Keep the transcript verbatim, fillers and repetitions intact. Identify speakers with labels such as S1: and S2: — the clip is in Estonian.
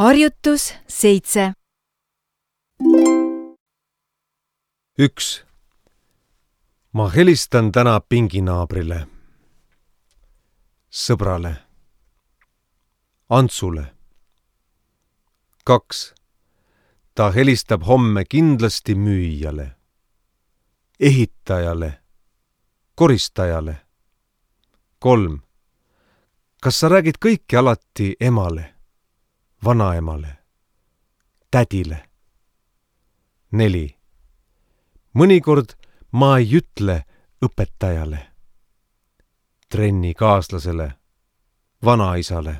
S1: Harjutus seitse.
S2: üks. Ma helistan täna pinginaabrile, sõbrale, Antsule. kaks. Ta helistab homme kindlasti müüjale, ehitajale, koristajale. kolm. Kas sa räägid kõike alati emale, vanaemale, tädile? neli. Mõnikord ma ei ütle õpetajale, trennikaaslasele, vanaisale.